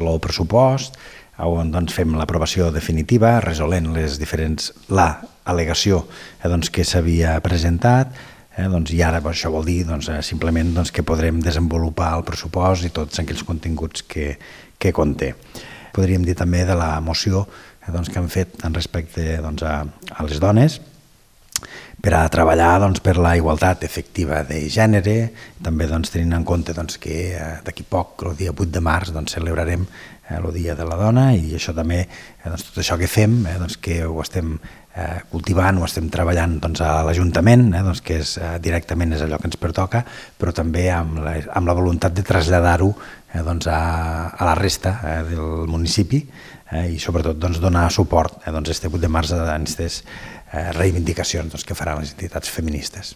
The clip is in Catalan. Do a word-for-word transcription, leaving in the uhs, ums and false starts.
el pressupost, on doncs, fem l'aprovació definitiva, resolent les diferents, la al·legació eh, doncs, que s'havia presentat, eh, doncs, i ara això vol dir doncs, simplement doncs, que podrem desenvolupar el pressupost i tots aquells continguts que, que conté. Podríem dir també de la moció eh, doncs, que han fet en respecte doncs, a, a les dones, per a treballar doncs, per la igualtat efectiva de gènere, també doncs, tenint en compte doncs, que eh, d'aquí poc, el dia vuit de març, doncs, celebrarem eh, el Dia de la Dona i això també, eh, doncs, tot això que fem, eh, doncs, que ho estem eh, cultivant, ho estem treballant doncs, a l'Ajuntament, eh, doncs, que és, eh, directament és allò que ens pertoca, però també amb la, amb la voluntat de traslladar-ho eh, doncs, a, a la resta eh, del municipi eh, i sobretot doncs, donar suport eh, doncs, este vuit de març a aquestes reivindicacions doncs, que faran les entitats feministes.